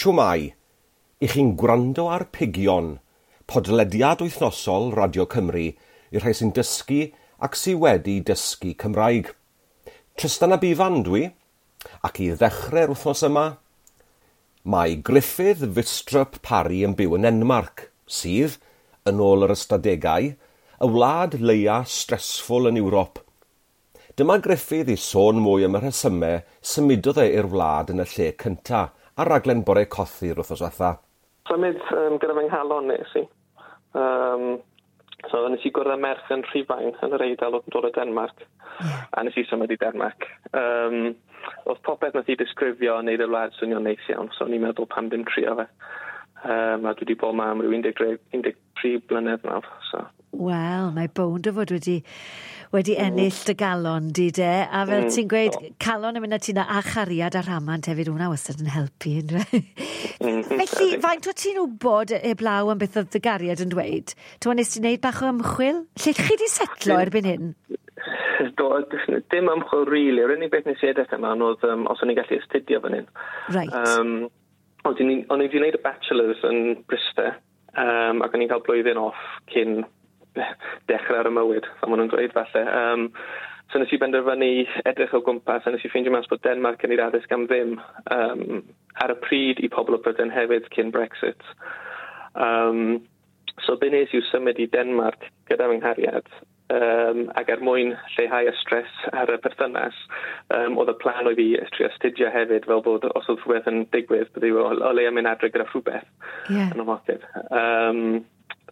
Shwmae? I chi'n gwrando ar Pigion, podlediad wythnosol Radio Cymru i'r rhai sy'n dysgu ac sy wedi dysgu Cymraeg. Trystan ab Ifan dwi, ac i ddechrau'r wythnos yma, mae Gruffydd Vistrup Parry yn byw yn Nenmarc, sydd, yn ôl yr ystadegau, y wlad leia stressful yn Ewrop. Dyma Gruffydd i sôn mwy am y rhesymau symudodd e i'r wlad yn y lle cynta ar raglen Bore Cothi'r wythnos diwetha. Symud gyda fy nghalon nes i. So nes i gwrdd â merch yn Rhufain yn yr Eidal oedd yn dod o Denmark. A nes i symud i Denmark. Oedd popeth nath i disgrifio yn neud y wlad swnio'n neis iawn, so o'n i'n meddwl pam ddim trio fe. A dwi wedi bod 'ma am ryw 13, 13 blynedd nawr. So. Wel, mae bownd o fod wedi ennill dy galon di de, a fel ti'n gweud, calon yn mynd â ti 'na a chariad a rhamant hefyd, hwnna wastad yn helpu, yndyfe? Felly, faint o ti'n wybod eblaw am beth oedd dy gariad yn dweud? Ti'n nes ti wneud bach o ymchwil? Lle chi di setlo erbyn hyn? Do, dim ymchwil really. Yr unig beth nes i edrych yma oedd os o'n i'n gallu astudio fan hyn. Ond o'n i wedi gwneud y bachelor's yn Bryste, ac o'n i'n cael blwyddyn off cyn dechrau ar y mywyd, fel maen nhw'n dweud falle. So nes i benderfynu edrych o gwmpas, a nes i ffeindio mas bod Denmark yn ei addysg am ddim ar y pryd i pobl o Brydain hefyd cyn Brexit. So be nes i yw symud i Denmark gyda fy nghariad, ac er mwyn lleihau y stres ar y perthynas, oedd y plan oedd i trio astudio hefyd, fel bod os oedd rhywbeth yn digwydd, bydde o leia mynd adre gyda rhywbeth yn y moced.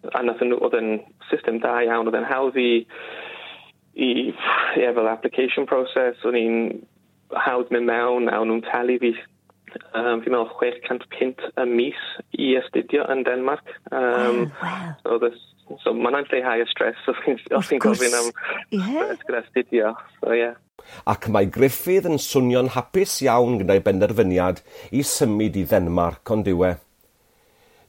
A nath nhw, oedd yn system da iawn, oedd yn hawdd i yeah, fel application process, o'n i'n hawdd mynd mewn, a o'n nhw'n talu fi, fi'n meddwl 600 punt y mis i astudio yn Denmark. So mae'n lleihau y stres os ti'n gofyn am stress gyda astudio. So, yeah. Ac mae Gruffydd yn swnio'n hapus iawn gyda'i benderfyniad i symud i Ddenmarc ond yw e.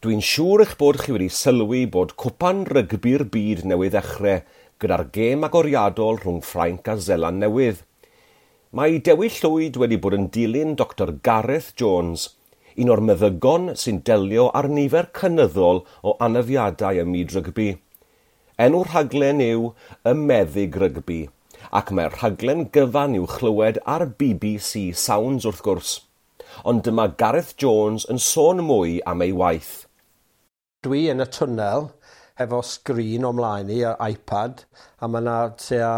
Dwi'n siŵr eich bod chi wedi sylwi bod cwpan rygbi'r byd newydd ddechrau gyda'r gêm agoriadol rhwng Ffrainc a Seland Newydd. Mae Dewi Llwyd wedi bod yn dilyn Dr Gareth Jones, un o'r meddygon sy'n delio ar nifer cynyddol o anafiadau ym myd rygbi. Enw'r rhaglen yw Y Meddyg Rygbi, ac mae'r rhaglen gyfan i'w chlywed ar BBC Sounds wrth gwrs. Ond dyma Gareth Jones yn sôn mwy am ei waith. Dwi yn y twnnel efo sgrin o mlaen i, yr iPad, a mae yna tua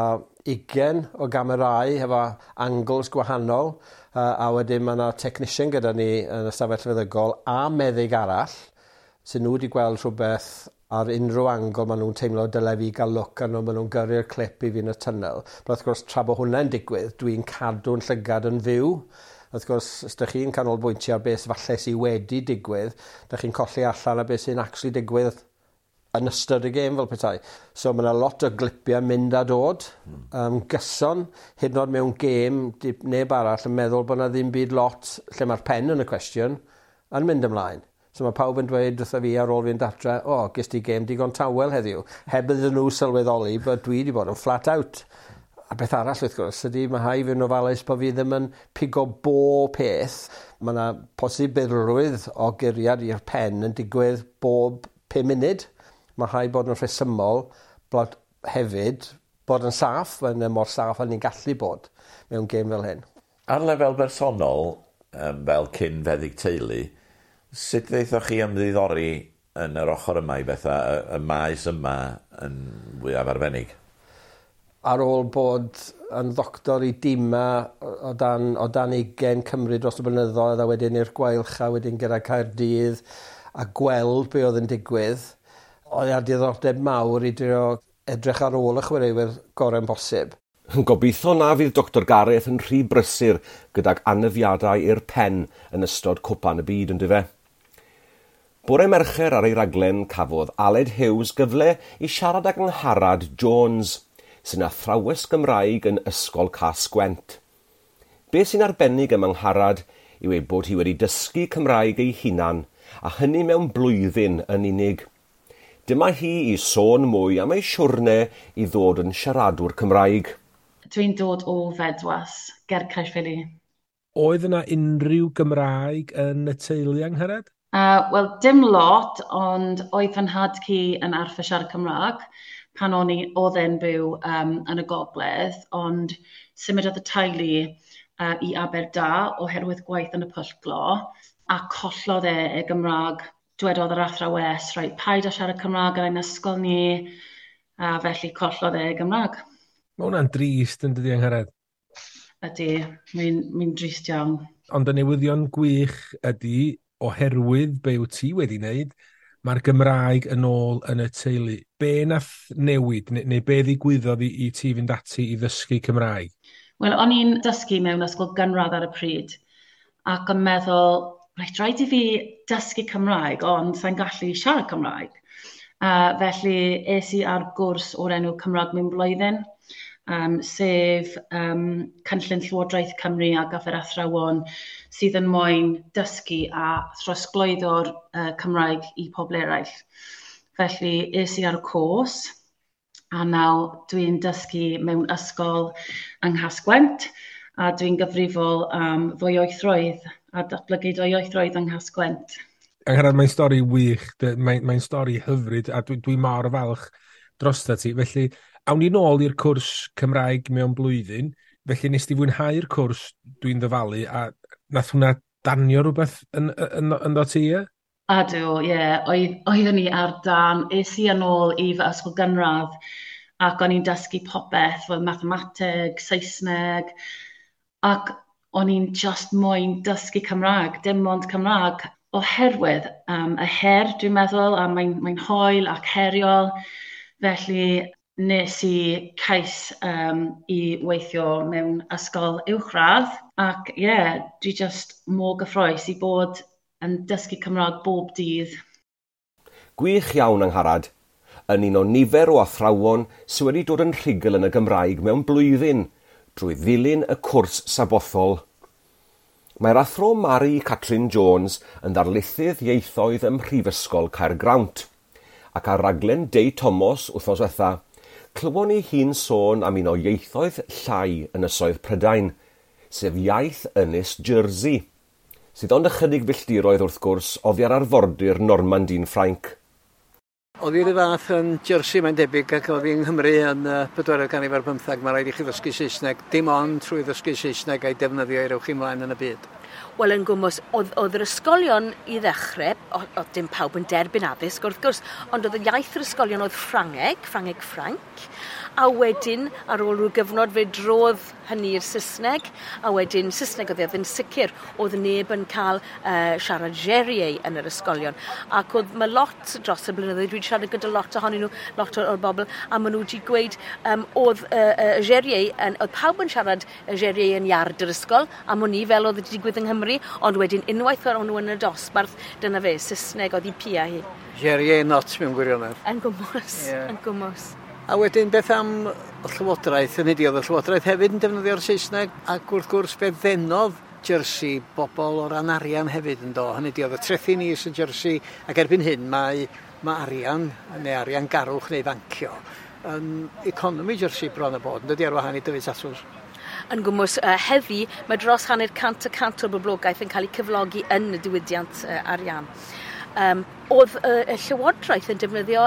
20 o gamerâu efo angles gwahanol, a wedyn mae yna technician gyda ni yn y stafell feddygol a meddyg arall, sy'n nhw wedi gweld rhywbeth ar unrhyw angle maen nhw'n teimlo dyle fi gael look arno, maen nhw'n gyrru'r clip i fi yn y tunnel. But wrth gwrs, tra bod hwnna'n digwydd, dwi'n cadw'n llygad yn fyw. Wrth gwrs, os ydych chi'n canolbwyntio ar beth falle sydd wedi digwydd, ydych chi'n colli allan ar beth sy'n actually digwydd yn ystod y gêm fel petai. So mae yna lot o glipiau mynd a dod gyson, hyd yn oed mewn gêm, neb arall yn meddwl bod yna ddim byd lot lle mae'r pen yn y cwestiwn yn mynd ymlaen. So mae pawb yn dweud wrtha fi ar ôl fi'n datre, "O, oh, ges ti gêm digon tawel heddiw." Heb iddyn nhw sylweddoli bod dwi wedi bod yn flat out. A beth arall wrth gwrs ydy mae rhaid fi yn ofalus bod fi ddim yn pigo bo peth. Mae yna posibilrwydd o guriad i'r pen yn digwydd bob 5 munud. Mae rhaid bod yn rhesymol bod hefyd bod yn saff, yn mor saff â ni'n gallu bod mewn gêm fel hyn. Ar lefel bersonol, fel cyn feddyg teulu, sut ddeithoch chi ymddiddori yn yr ochr yma i bethau, y maes yma yn fwyaf arbennig? Ar ôl bod yn ddoctor i dima o dan 20 Cymru dros y blynyddoedd a wedyn i'r Gweilch a wedyn gyda Caerdydd a gweld be oedd yn digwydd, oedd ar diddordeb mawr i drio edrych ar ôl y chwaraewyr gorau'n bosib. Gobeithio na fydd Dr Gareth yn rhy brysur gydag anafiadau i'r pen yn ystod cwpan y byd, yn dyfe? Bore Mercher ar ei raglen cafodd Aled Hughes gyfle i siarad ag Angharad Jones, sy'n athrawes Gymraeg yn Ysgol Cas-gwent. Be sy'n arbennig am Angharad yw ei bod hi wedi dysgu Cymraeg ei hunan, a hynny mewn blwyddyn yn unig. Dyma hi i sôn mwy am ei siwrne i ddod yn siaradwr Cymraeg. Dwi'n dod o Fedwas, ger Caerffili. Oedd yna unrhyw Gymraeg yn y teulu, Angharad? Wel, dim lot, ond oedd fy nhad-cu yn arfer siarad Cymraeg pan o'n i, oedd e'n byw yn y gogledd, ond symudodd y teulu i Aberdâr oherwydd gwaith yn y pwll glo, a collodd e ei Gymraeg. Dwedodd yr athrawes, rhaid paid â siarad Cymraeg yn ein ysgol ni, a felly collodd e ei Gymraeg. Mae hwnna'n drist yn dydi, Angharad? Ydy, mae'n drist iawn. Ond y newyddion gwych ydy, oherwydd be wyt ti wedi wneud, mae'r Gymraeg yn ôl yn y teulu. Be nath newid, neu be ddigwyddodd i ti fynd ati i ddysgu Cymraeg? Wel, o'n i'n dysgu mewn ysgol gynradd ar y pryd, ac yn meddwl, reit, rhaid i fi dysgu Cymraeg, ond sa'n gallu siarad Cymraeg. Felly, es i ar gwrs o'r enw Cymraeg mewn blwyddyn, sef cynllun Llywodraeth Cymru ar gyfer athrawon sydd yn moyn dysgu a throsglwyddo'r Cymraeg i pobl eraill. Felly, es i ar y cwrs, a nawr dwi'n dysgu mewn ysgol yng Nghasgwent, a dwi'n gyfrifol am ddwyieithrwydd a datblygu dwyieithrwydd yng Nghasgwent. Angharad, mae'n stori wych, mae'n stori hyfryd, a dwi mor falch drosta ti. Felly, awn ni nôl i'r cwrs Cymraeg mewn blwyddyn, felly nes di fwynhau'r cwrs, dwi'n ddyfalu, a nath hwnna danio rhywbeth ynddo ti, ie? Ydw, ie. Oeddwn i ar dan. Es i yn ôl i fy ysgol gynradd, ac o'n i'n dysgu popeth, fel mathemateg, Saesneg, ac o'n i'n just moyn dysgu Cymraeg, dim ond Cymraeg, oherwydd y her, dwi'n meddwl, a mae'n hoel ac heriol, felly nes i cais i weithio mewn ysgol uwchradd, ac ie, yeah, dwi just mor gyffrous i bod yn dysgu Cymraeg bob dydd. Gwych iawn, Angharad. Yn un o nifer o athrawon sydd wedi dod yn rhugl yn y Gymraeg mewn blwyddyn drwy ddilyn y cwrs sabothol. Mae'r athro Mari Catrin Jones yn ddarlithydd ieithoedd ym Mhrifysgol Caergrawnt, ac ar raglen Dei Thomas wythnos diwetha, clywon ni hi'n sôn am un o ieithoedd llai ynysoedd Prydain, sef iaith Ynys Jersey, sydd ond ychydig filltiroedd wrth gwrs oddi ar arfordir Normandy'n Ffrainc. Oedd hi'r fath yn Jersey, mae'n debyg, ac oedd hi yng Nghymru yn 14 ganrif ar 15, mae rhaid i chi ddysgu Saesneg, dim ond trwy ddysgu Saesneg a'i defnyddio i rewch chi ymlaen yn y byd. Wel, yn gwmws, oedd yr ysgolion i ddechrau, oedd dim pawb yn derbyn addysg wrth gwrs, ond oedd y iaith yr ysgolion oedd Ffrangeg, Ffrangeg Ffranc, a wedyn ar ôl rhyw gyfnod fe drodd hynny i'r Saesneg, a wedyn Saesneg oedd yn sicr, oedd neb yn cael siarad Jèrriais yn yr ysgolion. Ac oedd mae lot dros y blynyddoedd, dwi wedi siarad gyda lot ohonyn nhw, lot o'r bobl, a maen nhw wedi gweud oedd Jèrriais, oedd pawb yn siarad Jèrriais yn iard yr ysgol, am o'n i fel oedd wedi digwydd yng Nghymru, ond wedyn unwaith o'n nhw yn y dosbarth, dyna fe, Saesneg oedd hi pia hi. Jèrriais not mewn gwirionedd. Yn gwmws, yeah. Yn gwmws. A wedyn beth am y Llywodraeth, yn ydi, oedd y Llywodraeth hefyd yn defnyddio'r Saesneg, ac wrth gwrs fe ddenodd Jersey bobl o ran arian hefyd yn do. Hynny ydi, oedd y trethi ni yn Jersey, ac erbyn hyn mae arian, neu arian garwch neu fancio, yn economi Jersey bron a bod, yn dydi, ar wahân i dyfu tatws. Yn gwmws heddi, mae dros 50% o'r boblogaeth yn cael ei cyflogi yn y diwydiant arian. Oedd y Llywodraeth yn defnyddio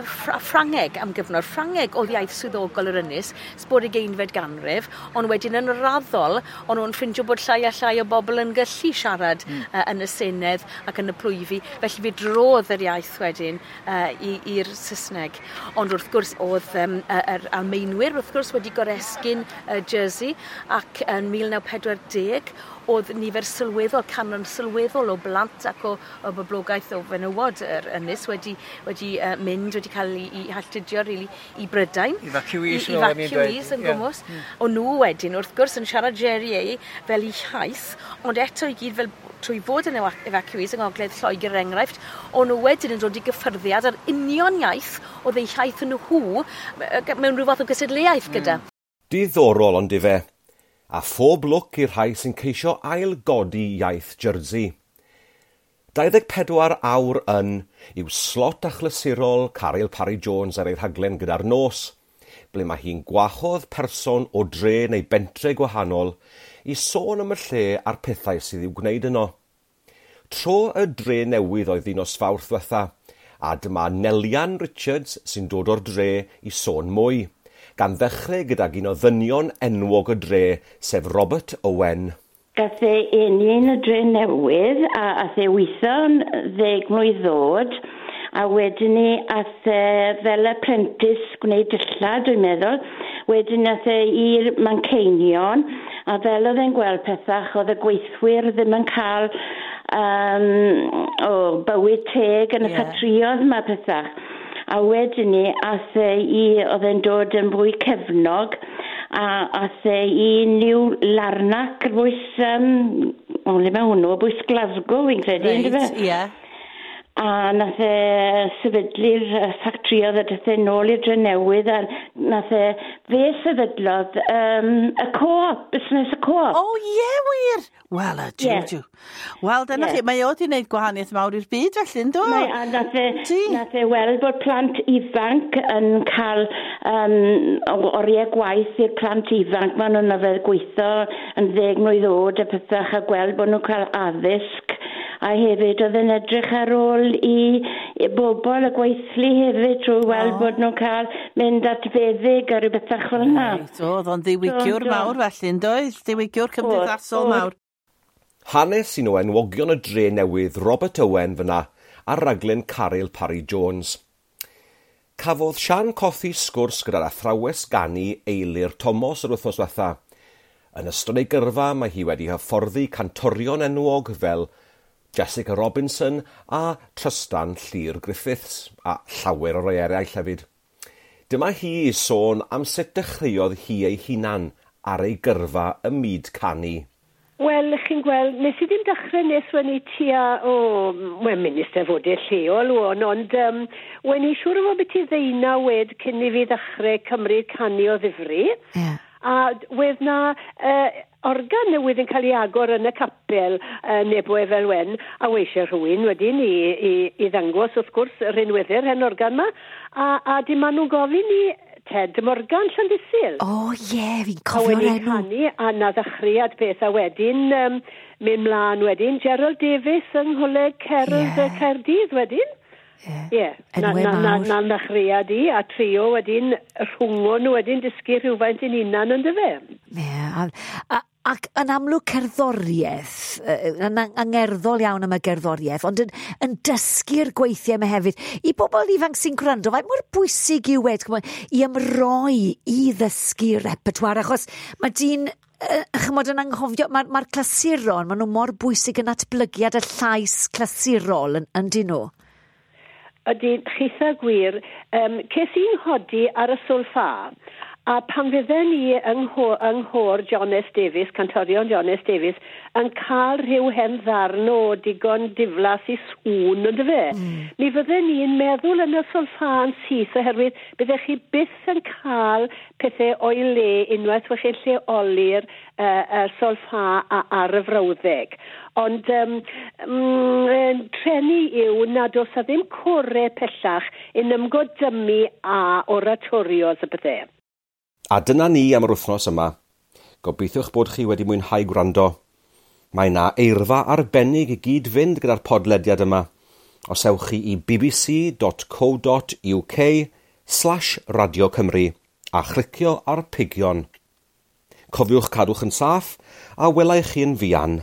Ffrangeg am gyfnod. Ffrangeg oedd iaith swyddogol yr ynys, sbor 20fed ganrif, ond wedyn yn raddol, o'n nhw'n ffindio bod llai a llai o bobl yn gallu siarad yn y Senedd ac yn y plwyfi, felly fe drodd yr iaith wedyn i'r Saesneg. Ond wrth gwrs oedd yr Almaenwyr wrth gwrs wedi goresgyn Jersey, ac yn 1940 oedd nifer sylweddol, canran sylweddol o blant ac o boblogaeth o fenywod yr ynys wedi mynd, wedi cael ei halltudio really, i Brydain. Evacuees, evacuees yn gwmws. O'n nhw wedyn, wrth gwrs, yn siarad Jèrriais fel eu hiaith, ond eto i gyd fel trwy fod yn evacuees yng Ngogledd Lloegr er enghraifft, o'n nhw wedyn yn dod i gyffyrddiad ar union iaith oedd eu hiaith yn nhw mewn rhyw fath o gystadleuaeth gyda. Diddorol ond ife, a phob lwc i'r rhai sy'n ceisio ail-godi iaith Jersey. 24 awr yn yw slot achlysurol Caryl Parry Jones ar ei rhaglen gyda'r nos, ble mae hi'n gwahodd person o dre neu bentre gwahanol i sôn am y lle a'r pethau sydd i'w gwneud yno. Tro y dre newydd oedd un nos Fawrth ddiwetha, a dyma Nelian Richards sy'n dod o'r dre i sôn mwy, gan ddechrau gydag un o ddynion enwog y dre, sef Robert Owen. Gath e eni yn y dre newydd a ath e weithio'n 10 mlwydd ddod, a wedyn ni ath e fel apprentice gwneud dillad, dwi'n meddwl. Wedyn ath e i'r Manceinion, a fel oedd e'n gweld pethach, oedd y gweithwyr ddim yn cael bywyd teg yn y ffatrïoedd yma pethach. A wedyn ni ath e i, oedd e'n dod yn fwy cefnog, a ath e i New Larnac, bwys, le mae hwnnw, bwys Glasgow, fi'n credu, right, yndyfe? Ie. A nath e sefydlu'r ffatrïoedd a dath e nôl i'r Drenewydd, a nath e, fe sefydlodd y co-op, busnes y co-op. O, ie, wir! Wel, y jiw, jiw. Wel, dyna chi, mae o wedi gwneud gwahaniaeth mawr i'r byd, felly, ynddo? Mae, a nath e weld bod plant ifanc yn cael oriau gwaith i'r plant ifanc. Maen nhw'n arfer gweithio yn 10 mlwydd oed a pethach, a gweld bod nhw'n cael addysg. A hefyd oedd yn edrych ar ôl i bobl y gweithlu hefyd trwy weld bod nhw'n cael mynd at feddyg a rhywbeth fel yna. Reit, oedd o'n ddiwygiwr mawr felly, yn doedd? Diwygiwr cymdeithasol mawr. Hanes un o enwogion y dre newydd Robert Owen fyna ar raglen Caryl Parry Jones. Cafodd Sian Cothi sgwrs gyda'r athrawes ganu Eilir Thomas yr wythnos diwetha. Yn ystod ei gyrfa mae hi wedi hyfforddi cantorion enwog fel Jessica Robinson a Trystan Llyr Griffiths, a llawer o rai eraill hefyd. Dyma hi i sôn am sut dechreuodd hi ei hunan ar ei gyrfa ym myd canu. Wel, chi'n gweld, nes i ddim dechrau nes wen i tua, mynd i Steddfodau lleol o'n, ond wen i siŵr o fod beth i 19 wed cyn i fi ddechrau cymryd canu o ddifri. Yeah. A wedd na organ newydd yn cael ei agor yn y capel Nebo Efelwen, a weisiau rhywun wedyn i ddangos, wrth gwrs, yr unweddu'r hen organ yma, a dim maen nhw'n gofyn i Ted Morgan Llandysul. O ie, fi'n cofio'r enw. A wedyn canu, a na ddechreuad peth, a wedyn mynd mlaen wedyn, Gerald Davies yng Ngholeg Cerdd Caerdydd wedyn. Ie, na ddechreuad i, a trio wedyn rhwngo nhw wedyn dysgu rhywfaint yn unan yn dyfe. Ie, ac yn amlwg cerddoriaeth, yn angerddol iawn am y gerddoriaeth, ond yn dysgu'r gweithiau yma hefyd. I bobl ifanc sy'n gwrando, faint mor bwysig yw e, i ymroi i ddysgu repertoire, achos mae dyn, chymod, yn anghofio, mae'r clasuron, maen nhw mor bwysig yn atblygiad y llais clasurol yn dyn nhw. Ydy, chitha gwir, ces i'n nghodi ar y solfa, a pan fydden ni yng nghôr John S. Davies, cantorion John S. Davies, yn cael rhyw hen ddarn o digon diflas i sŵn, ynddo fe? Mi fydden ni'n meddwl yn y solfa'n syth, oherwydd byddech chi byth yn cael pethau o'i le unwaith wech chi'n lleoli'r solfa ar y frawddeg. Ond treni yw nad oes a ddim core pellach yn ymgodymu a oratorios y pethau. A dyna ni am yr wythnos yma. Gobeithiwch bod chi wedi mwynhau gwrando. Mae na eirfa arbennig i gyd fynd gyda'r podlediad yma. Os ewch chi i bbc.co.uk/Radio Cymru a chlicio ar pigion. Cofiwch cadwch yn saff a welai chi yn fuan.